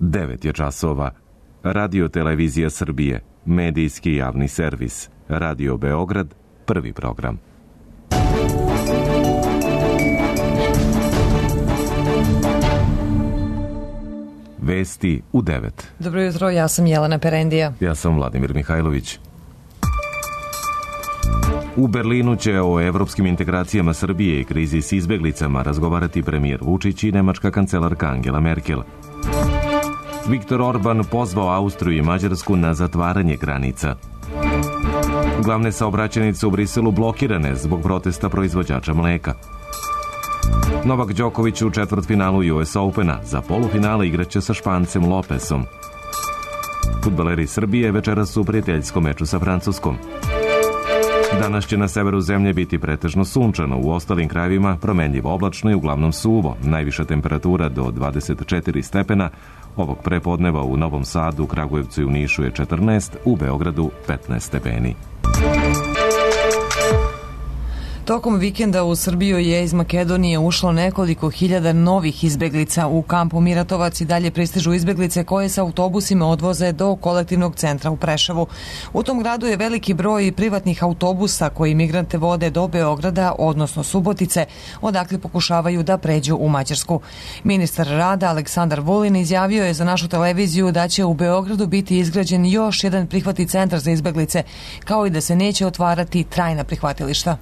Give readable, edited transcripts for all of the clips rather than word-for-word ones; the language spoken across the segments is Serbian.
9 je časova. Radio Televizija Srbije, medijski javni servis. Radio Beograd, prvi program. Vesti u 9. Dobro jutro, ja sam Jelena Perendija. Ja sam Vladimir Mihajlović. U Berlinu će o evropskim integracijama Srbije i krizi s izbeglicama razgovarati premijer Vučić i nemačka kancelarka Angela Merkel. Viktor Orban pozvao Austriju i Mađarsku na zatvaranje granica. Glavne saobraćajnice u Briselu blokirane zbog protesta proizvođača mleka. Novak Đoković u četvrtfinalu US Opena, za polufinale igraće sa Špancem Lopesom. Fudbaleri Srbije večeras su u prijateljskom meču sa Francuskom. Danas će na severu zemlje biti pretežno sunčano, u ostalim krajevima promenljivo oblačno i uglavnom suvo. Najviša temperatura do 24 stepena, ovog prepodneva u Novom Sadu, Kragujevcu i u Nišu je 14, u Beogradu 15 stepeni. Tokom vikenda u Srbiju je iz Makedonije ušlo nekoliko hiljada novih izbeglica. U kampu Miratovac i dalje pristižu izbeglice koje sa autobusima odvoze do kolektivnog centra u Preševu. U tom gradu je veliki broj privatnih autobusa koji migrante vode do Beograda, odnosno Subotice, odakle pokušavaju da pređu u Mađarsku. Ministar rada Aleksandar Vulin izjavio je za našu televiziju da će u Beogradu biti izgrađen još jedan prihvatni centar za izbeglice, kao i da se neće otvarati trajna prihvatilišta.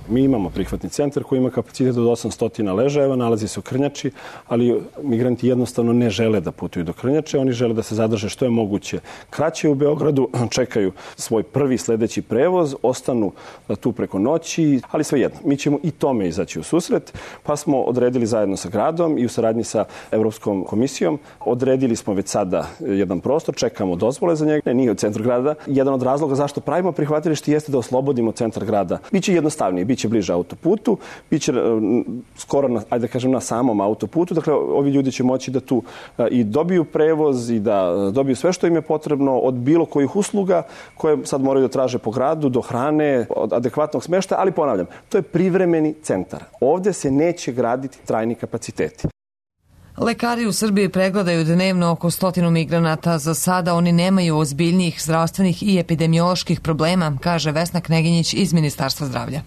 Mi imamo prihvatni centar koji ima kapacitet od 800 ležajeva, nalazi se u Krnjači, ali migranti jednostavno ne žele da putuju do Krnjače, oni žele da se zadrže što je moguće kraće u Beogradu, čekaju svoj prvi sledeći prevoz, ostanu tu preko noći, ali svejedno, mi ćemo i tome izaći u susret, pa smo odredili zajedno sa gradom i u saradnji sa Evropskom komisijom, odredili smo već sada jedan prostor, čekamo dozvole za njega, nije u centru grada. Jedan od razloga zašto pravimo prihvatilište jeste da oslobodimo centar grada. Biće jednostavnije, biće bliže autoputu, biće skoro na samom autoputu. Dakle, ovi ljudi će moći da tu i dobiju prevoz i da dobiju sve što im je potrebno od bilo kojih usluga koje sad moraju da traže po gradu, do hrane, od adekvatnog smeštaja, ali ponavljam, to je privremeni centar. Ovde se neće graditi trajni kapaciteti. Lekari u Srbiji pregledaju dnevno oko 100 migranata. Za sada oni nemaju ozbiljnijih zdravstvenih i epidemioloških problema, kaže Vesna Kneginjić iz Ministarstva zdravlja.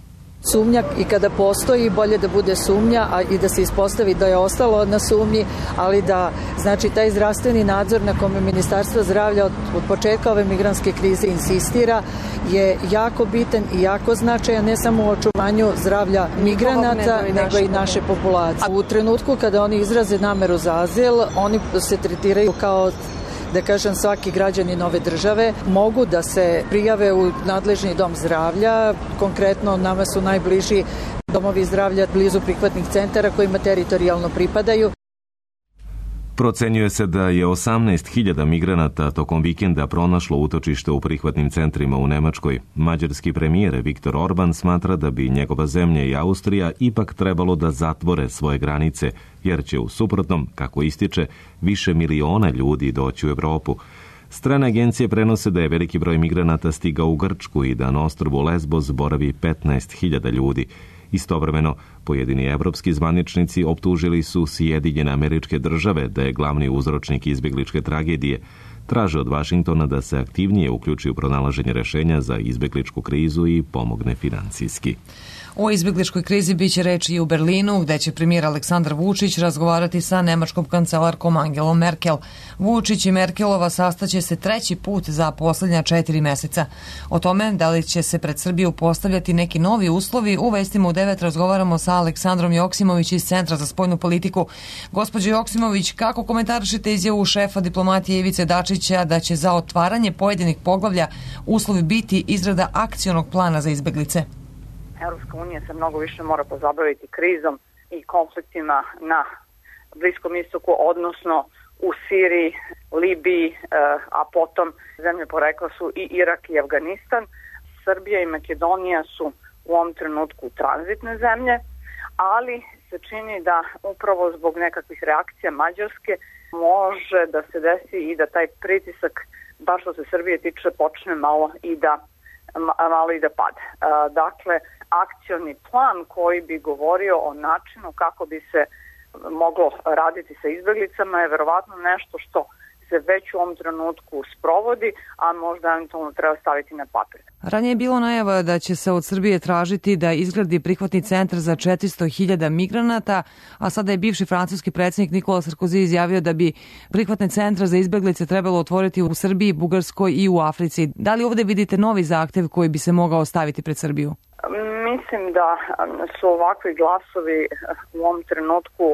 Sumnja i kada postoji, bolje da bude sumnja, a i da se ispostavi da je ostalo na sumnji, ali da, znači, taj zdravstveni nadzor na kome Ministarstvo zdravlja od početka ove migrantske krize insistira je jako bitan i jako značajan, ne samo u očuvanju zdravlja migranata, nego i naše populacije. U trenutku kada oni izraze nameru za azil, oni se tretiraju kao, da kažem, svaki građanin ove države, mogu da se prijave u nadležni dom zdravlja. Konkretno nama su najbliži domovi zdravlja blizu prihvatnih centara kojima teritorijalno pripadaju. Procenjuje se da je 18.000 migranata tokom vikenda pronašlo utočište u prihvatnim centrima u Nemačkoj. Mađarski premijer Viktor Orban smatra da bi njegova zemlja i Austrija ipak trebalo da zatvore svoje granice, jer će u suprotnom, kako ističe, više miliona ljudi doći u Evropu. Strane agencije prenose da je veliki broj migranata stigao u Grčku i da na ostrvu Lesbos boravi 15.000 ljudi. Istovremeno, pojedini evropski zvaničnici optužili su Sjedinjene Američke Države da je glavni uzročnik izbegličke tragedije. Traže od Vašingtona da se aktivnije uključi u pronalaženje rešenja za izbegličku krizu i pomogne financijski. O izbegličkoj krizi biće reči i u Berlinu, gde će premijer Aleksandar Vučić razgovarati sa nemačkom kancelarkom Angelom Merkel. Vučić i Merkelova sastaće se treći put za poslednja 4 meseca. O tome da li će se pred Srbiju postavljati neki novi uslovi, u vestima u 9 razgovaramo sa Aleksandrom Joksimović iz Centra za spoljnu politiku. Gospođo Joksimović, kako komentarišete izjavu šefa diplomatije Ivice Dačića da će za otvaranje pojedinih poglavlja uslovi biti izrada akcionog plana za izbeglice? Europska unija se mnogo više mora pozabaviti krizom i konfliktima na Bliskom istoku, odnosno u Siriji, Libiji, a potom zemlje porekla su i Irak i Afganistan. Srbija i Makedonija su u ovom trenutku tranzitne zemlje, ali se čini da upravo zbog nekakvih reakcija Mađarske može da se desi i da taj pritisak, baš što se Srbije tiče, počne malo i da pada. Dakle, akcioni plan koji bi govorio o načinu kako bi se moglo raditi sa izbeglicama je verovatno nešto što se već u ovom trenutku sprovodi, a možda eventualno treba staviti na papir. Ranije je bilo najava da će se od Srbije tražiti da izgradi prihvatni centar za 400.000 migranata, a sada je bivši francuski predsjednik Nikola Sarkozy izjavio da bi prihvatne centre za izbeglice trebalo otvoriti u Srbiji, Bugarskoj i u Africi. Da li ovde vidite novi zahtev koji bi se mogao staviti pred Srbiju? Mislim da su ovakvi glasovi u ovom trenutku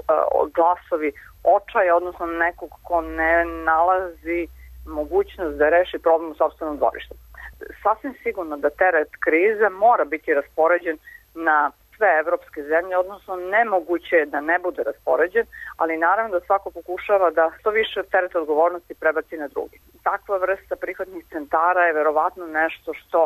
glasovi očaja, odnosno nekog ko ne nalazi mogućnost da reši problem u sopstvenom dvorištu. Sasvim sigurno da teret krize mora biti raspoređen na sve evropske zemlje, odnosno nemoguće je da ne bude raspoređen, ali naravno da svako pokušava da što više teret odgovornosti prebaci na drugi. Takva vrsta prihvatnih centara je verovatno nešto što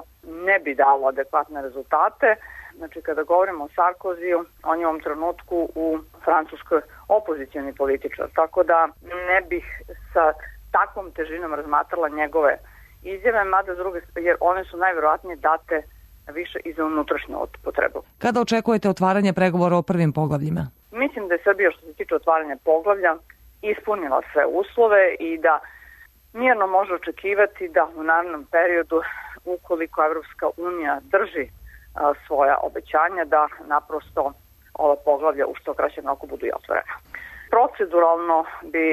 ne bi dalo adekvatne rezultate. Znači, kada govorimo o Sarkoziju, on je u ovom trenutku u Francuskoj opozicioni političar, tako da ne bih sa takvom težinom razmatrala njegove izjave, mada s druge, jer one su najverovatnije date više i za unutrašnju potrebu. Kada očekujete otvaranje pregovora o prvim poglavljima? Mislim da je Srbija što se tiče otvaranja poglavlja ispunila sve uslove i da mirno može očekivati da u narednom periodu, ukoliko Evropska unija drži svoja obećanja, da naprosto ova poglavlja u što kraćem roku budu i otvorena. Proceduralno bi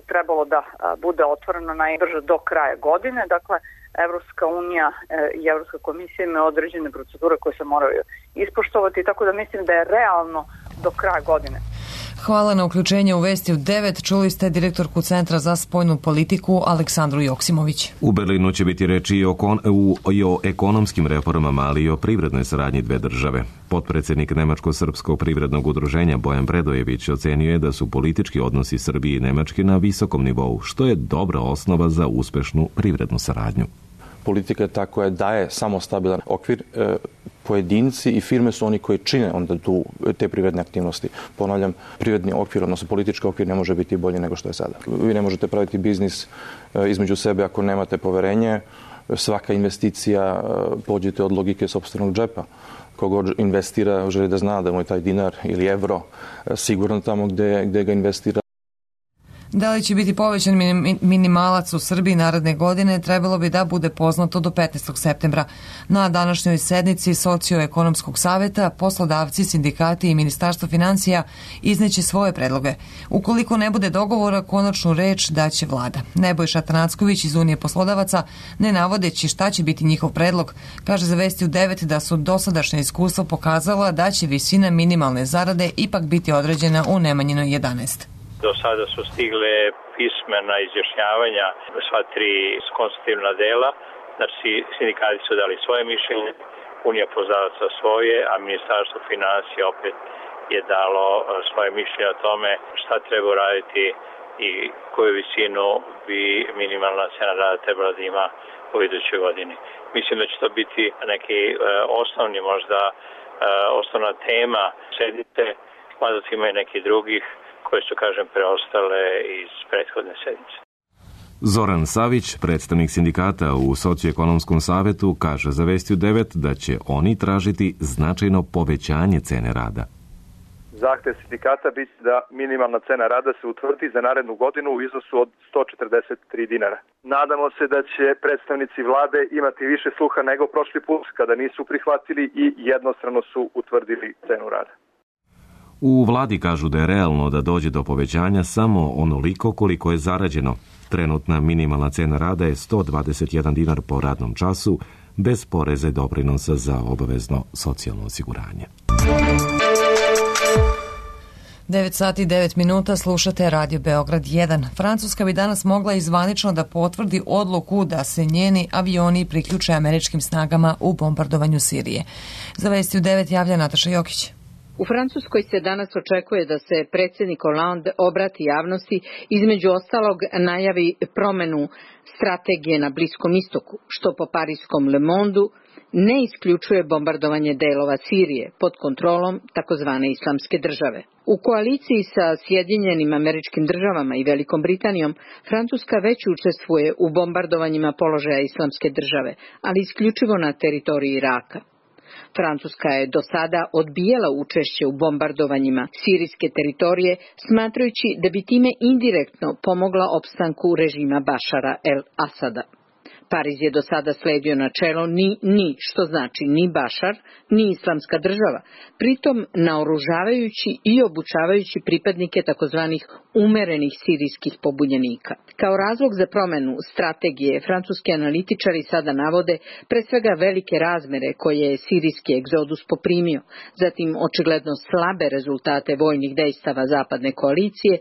trebalo da bude otvoreno najbrže do kraja godine, dakle Evropska unija i Evropska komisija imaju određene procedure koje se moraju ispoštovati, tako da mislim da je realno do kraja godine. Hvala na uključenje u Vesti u 9. Čuli ste direktorku Centra za spoljnu politiku Aleksandru Joksimović. U Berlinu će biti reči i o ekonomskim reformama, ali i o privrednoj saradnji dve države. Potpredsjednik Nemačko-srpskog privrednog udruženja Bojan Predojević ocenio je da su politički odnosi Srbije i Nemačke na visokom nivou, što je dobra osnova za uspešnu privrednu saradnju. Politika je ta koja daje samo stabilan okvir. Pojedinci i firme su oni koji čine onda te privredne aktivnosti. Ponavljam, privredni okvir, odnosno politički okvir ne može biti bolji nego što je sada. Vi ne možete praviti biznis između sebe ako nemate poverenje. Svaka investicija pođete od logike sopstvenog džepa. Kogod investira želi da zna da mu je taj dinar ili evro sigurno tamo gde ga investira. Da li će biti povećan minimalac u Srbiji naredne godine, trebalo bi da bude poznato do 15. septembra. Na današnjoj sednici Socioekonomskog saveta poslodavci, sindikati i Ministarstvo financija izneće svoje predloge. Ukoliko ne bude dogovora, konačnu reč daće vlada. Nebojša Tanacković iz Unije poslodavaca, ne navodeći šta će biti njihov predlog, kaže za Vesti u 9 da su dosadašnja iskustva pokazala da će visina minimalne zarade ipak biti određena u Nemanjinoj 11. Do sada su stigle pismena izjašnjavanja sva tri konstitutivna dela, znači sindikati su dali svoje mišljenje, Unija poslodavaca svoje, a Ministarstvo financija opet je dalo svoje mišljenje o tome šta treba raditi i koju visinu bi minimalna cena rada trebala da ima u idućoj godini. Mislim da će to biti neki osnovni, možda osnovna tema sednice, mada ima i neki drugih koje su, kažem, preostale iz prethodne sedmice. Zoran Savić, predstavnik sindikata u Socioekonomskom savetu, kaže za Vesti u 9 da će oni tražiti značajno povećanje cene rada. Zahtev sindikata biti da minimalna cena rada se utvrdi za narednu godinu u iznosu od 143 dinara. Nadamo se da će predstavnici vlade imati više sluha nego prošli put kada nisu prihvatili i jednostrano su utvrdili cenu rada. U vladi kažu da je realno da dođe do povećanja samo onoliko koliko je zarađeno. Trenutna minimalna cena rada je 121 dinar po radnom času, bez poreza i doprinosa za obavezno socijalno osiguranje. 9 sati i 9 minuta, slušate Radio Beograd 1. Francuska bi danas mogla izvanično da potvrdi odluku da se njeni avioni priključe američkim snagama u bombardovanju Sirije. Za Vesti u 9 javlja Nataša Jokić. U Francuskoj se danas očekuje da se predsjednik Hollande obrati javnosti, između ostalog najavi promenu strategije na Bliskom istoku, što po parijskom Le Mondeu ne isključuje bombardovanje delova Sirije pod kontrolom takozvane islamske države. U koaliciji sa Sjedinjenim Američkim Državama i Velikom Britanijom, Francuska već učestvuje u bombardovanjima položaja islamske države, ali isključivo na teritoriji Iraka. Francuska je do sada odbijala učešće u bombardovanjima sirijske teritorije, smatrajući da bi time indirektno pomogla opstanku režima Bašara el-Asada. Pariz je do sada sledio načelo ni, što znači ni Bašar, ni Islamska država, pritom naoružavajući i obučavajući pripadnike takozvanih umerenih sirijskih pobunjenika. Kao razlog za promenu strategije, francuski analitičari sada navode pre svega velike razmere koje je sirijski egzodus poprimio, zatim očigledno slabe rezultate vojnih dejstava zapadne koalicije,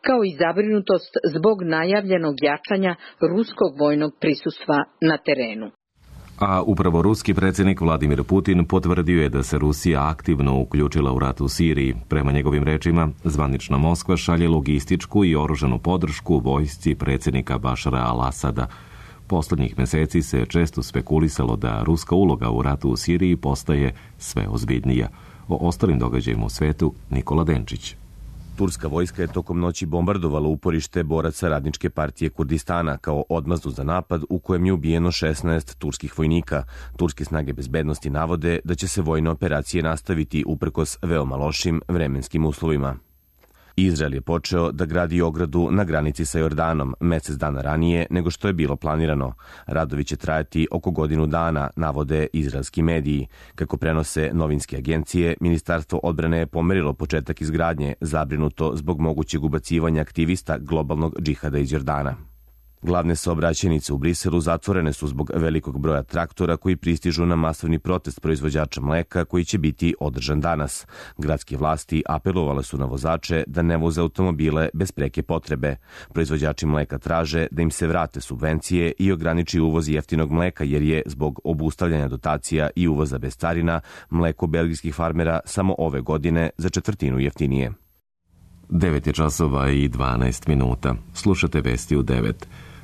kao i zabrinutost zbog najavljenog jačanja ruskog vojnog prisustva na terenu. A upravo ruski predsjednik Vladimir Putin potvrdio je da se Rusija aktivno uključila u rat u Siriji. Prema njegovim rečima, zvanična Moskva šalje logističku i oružanu podršku vojsci predsjednika Bašara al-Asada. Poslednjih meseci se često spekulisalo da ruska uloga u ratu u Siriji postaje sve ozbiljnija. O ostalim događajima u svetu Nikola Denčić. Turska vojska je tokom noći bombardovala uporište boraca Radničke partije Kurdistana kao odmazdu za napad u kojem je ubijeno 16 turskih vojnika. Turske snage bezbednosti navode da će se vojne operacije nastaviti uprkos veoma lošim vremenskim uslovima. Izrael je počeo da gradi ogradu na granici sa Jordanom mesec dana ranije nego što je bilo planirano. Radovi će trajati oko godinu dana, navode izraelski mediji. Kako prenose novinske agencije, Ministarstvo odbrane je pomerilo početak izgradnje, zabrinuto zbog mogućeg ubacivanja aktivista globalnog džihada iz Jordana. Glavne saobraćajnice u Briselu zatvorene su zbog velikog broja traktora koji pristižu na masovni protest proizvođača mleka koji će biti održan danas. Gradske vlasti apelovale su na vozače da ne voze automobile bez preke potrebe. Proizvođači mleka traže da im se vrate subvencije i ograniči uvoz jeftinog mleka jer je zbog obustavljanja dotacija i uvoza bez carina mleko belgijskih farmera samo ove godine za četvrtinu jeftinije. 9 je časova i 12 minuta. Slušate vesti u 9.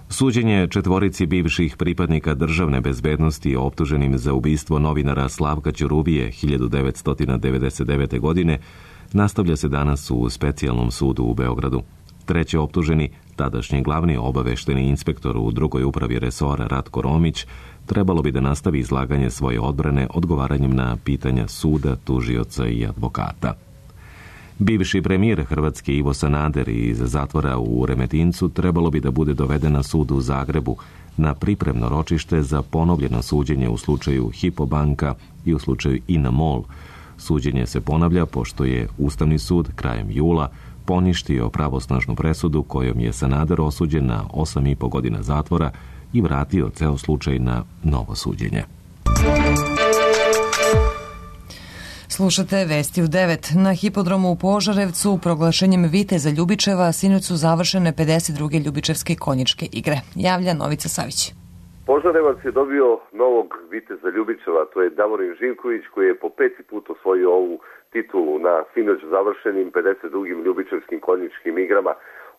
Suđenje četvorici bivših pripadnika državne bezbednosti optuženim za ubistvo novinara Slavka Ćuruvije 1999. godine nastavlja se danas u specijalnom sudu u Beogradu. Treći optuženi, tadašnji glavni obavešteni inspektor u drugoj upravi resora Ratko Romić, trebalo bi da nastavi izlaganje svoje odbrane odgovaranjem na pitanja suda, tužioca i advokata. Bivši premijer Hrvatske Ivo Sanader iz zatvora u Remetincu trebalo bi da bude doveden na sud u Zagrebu na pripremno ročište za ponovljeno suđenje u slučaju Hypo banka i u slučaju INA MOL. Suđenje se ponavlja pošto je Ustavni sud krajem jula poništio pravosnažnu presudu kojom je Sanader osuđen na 8,5 godina zatvora i vratio ceo slučaj na novo suđenje. Slušate vesti u 9. Na hipodromu u Požarevcu proglašenjem Viteza Ljubičeva sinoć su završene 52. Ljubičevske konjičke igre. Javlja Novica Savić. Požarevac je dobio novog Viteza Ljubičeva, to je Davorin Živković koji je po 5. put osvojio ovu titulu na sinoć završenim 52. Ljubičevskim konjičkim igrama.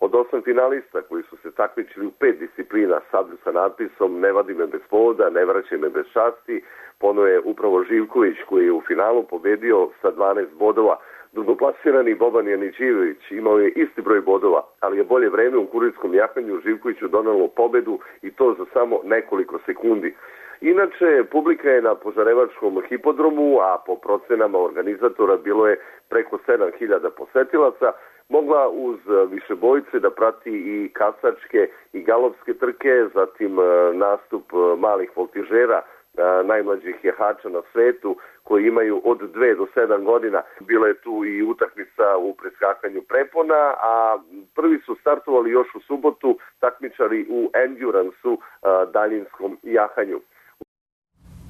Od 8 finalista koji su se takmičili u 5 disciplina sa natpisom "Ne vadi me bez povoda, ne vraćaj me bez časti", ponovo je upravo Živković koji je u finalu pobedio sa 12 bodova. Drugoplasirani Boban Janićijević imao je isti broj bodova, ali je bolje vreme u kurirskom jahanju Živkoviću donelo pobedu i to za samo nekoliko sekundi. Inače, publika je na Požarevačkom hipodromu, a po procenama organizatora bilo je preko 7.000 posetilaca, mogla uz višebojce da prati i kasačke i galopske trke, zatim nastup malih voltižera, najmlađih jahača na svetu koji imaju od 2 do 7 godina. Bila je tu i utakmica u preskakanju prepona, a prvi su startovali još u subotu takmičari u endurance-u, daljinskom jahanju.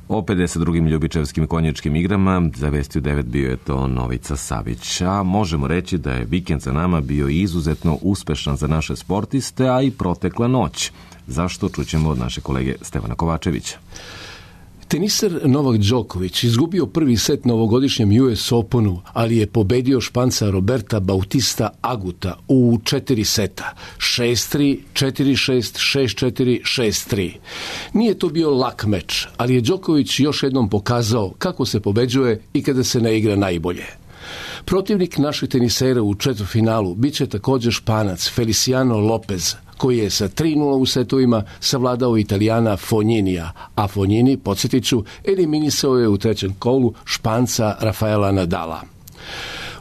O 52. Ljubičevskim konjičkim igrama za Vesti u 9 bio je to Novica Savić. A možemo reći da je vikend za nama bio izuzetno uspešan za naše sportiste, a i protekla noć. Zašto? Čućemo od naše kolege Stevana Kovačevića. Teniser Novak Đoković izgubio prvi set na ovogodišnjem US Openu, ali je pobedio Španca Roberta Bautista Aguta u 4 seta. 6-3, 4-6, 6-4, 6-3. Nije to bio lak meč, ali je Đoković još jednom pokazao kako se pobeđuje i kada se ne igra najbolje. Protivnik naših tenisera u četvrtfinalu biće također Španac Feliciano Lopez, koji je sa 3-0 u setovima savladao Italijana Fogninija, a Fognini, podsjetit ću, eliminisao je u trećem kolu Španca Rafaela Nadala.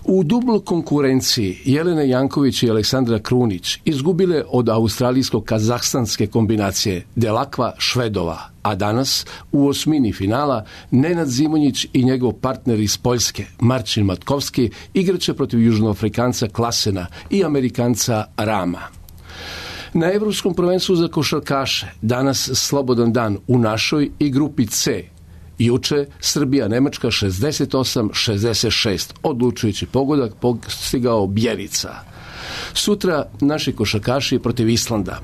U dubloj konkurenciji Jelena Janković i Aleksandra Krunić izgubile od australijsko-kazahstanske kombinacije Delakva Švedova, a danas u osmini finala Nenad Zimonjić i njegov partner iz Poljske, Marcin Matkovski, igraće protiv Južnoafrikanca Klasena i Amerikanca Rama. Na Evropskom prvenstvu za košarkaše danas slobodan dan u našoj i grupi C. Juče Srbija-Nemačka 68-66, odlučujući pogodak postigao Bjelica. Sutra naši košarkaši protiv Islanda,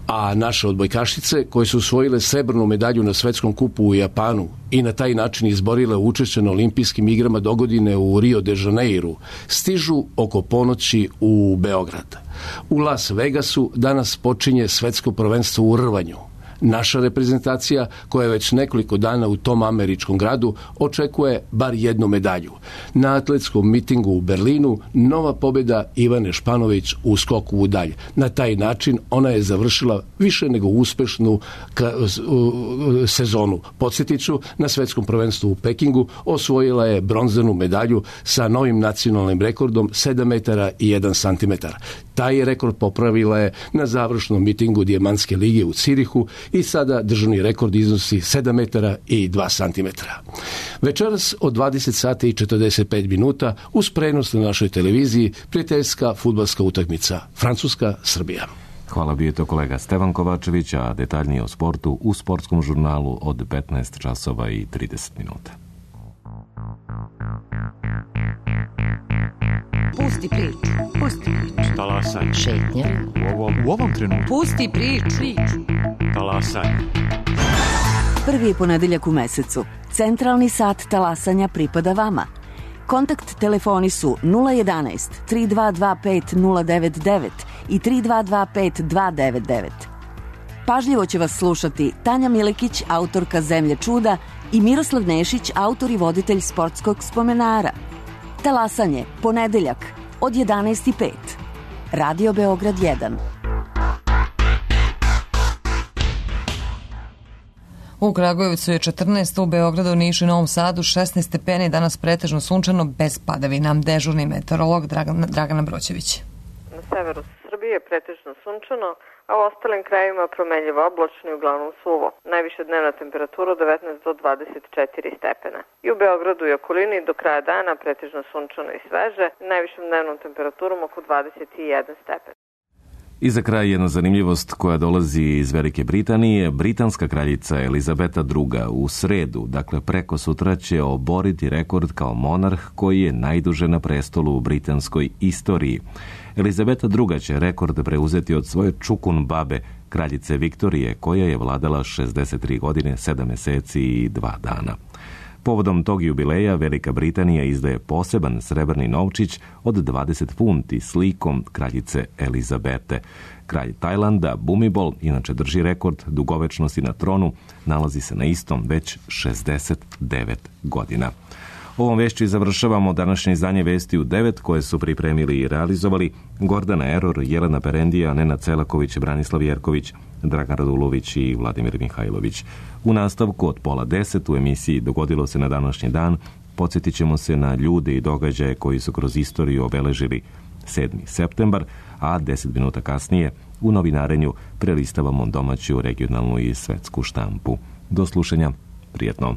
a naše odbojkašice koje su osvojile srebrnu medalju na svetskom kupu u Japanu i na taj način izborile učešće na olimpijskim igrama dogodine u Rio de Janeiru, stižu oko ponoći u Beograd. U Las Vegasu danas počinje svetsko prvenstvo u rvanju. Naša reprezentacija, koja je već nekoliko dana u tom američkom gradu, očekuje bar jednu medalju. Na atletskom mitingu u Berlinu nova pobjeda Ivane Španović u skoku u dalj. Na taj način ona je završila više nego uspešnu sezonu. Podsjetit ću, na svetskom prvenstvu u Pekingu osvojila je bronzanu medalju sa novim nacionalnim rekordom 7 metara i 1 santimetar. Taj rekord popravila je na završnom mitingu Dijamantske lige u Cirihu i sada državni rekord iznosi 7 metara i 2 santimetra. Večeras od 20 sati i 45 minuta uz prenos na našoj televiziji prijateljska fudbalska utakmica Francuska-Srbija. Hvala, bio je to kolega Stevan Kovačević, a detaljnije o sportu u sportskom žurnalu od 15 časova i 30 minuta. Pusti priču. Talasaj. Šetnja. U ovom trenutku. Pusti priču. Talasaj. Prvi je ponedeljak u mesecu. Centralni sat talasanja pripada vama. Kontakt telefoni su 011 3225 099 i 3225 299. Pažljivo će vas slušati Tanja Milekić, autorka Zemlje čuda, i Miroslav Nešić, autor i voditelj sportskog spomenara. Talasanje, ponedeljak, od 11:05. Radio Beograd 1. U Kragujevcu je 14, u Beogradu, Nišu i Novom Sadu 16 stepeni, danas pretežno sunčano, bez padavina. Dežurni meteorolog Dragana Broćević. Na severu Srbije je pretežno sunčano, a u ostalim krajevima promenljivo oblačno i uglavnom suvo. Najviša dnevna temperatura od 19 do 24 stepena. I u Beogradu i okolini do kraja dana pretežno sunčano i sveže, najvišom dnevnom temperaturom oko 21 stepen. I za kraj jedna zanimljivost koja dolazi iz Velike Britanije. Britanska kraljica Elizabeta II. U sredu, dakle preko sutra, će oboriti rekord kao monarh koji je najduže na prestolu u britanskoj istoriji. Elizabeta II. Će rekord preuzeti od svoje čukun babe, kraljice Viktorije, koja je vladala 63 godine, 7 meseci i 2 dana. Povodom tog jubileja Velika Britanija izdaje poseban srebrni novčić od 20 funti s likom kraljice Elizabete. Kralj Tajlanda, Bumibol, inače drži rekord dugovečnosti na tronu, nalazi se na istom već 69 godina. Ovom vešću završavamo današnje izdanje Vesti u 9 koje su pripremili i realizovali Gordana Eror, Jelena Perendija, Nenad Celaković, Branislav Jerković, Dragan Radulović i Vladimir Mihajlović. U nastavku od 9:30 u emisiji Dogodilo se na današnji dan podsjetit ćemo se na ljude i događaje koji su kroz istoriju obeležili 7. septembar, a 10 minuta kasnije u novinarenju prelistavamo domaću, regionalnu i svetsku štampu. Do slušanja, prijetno.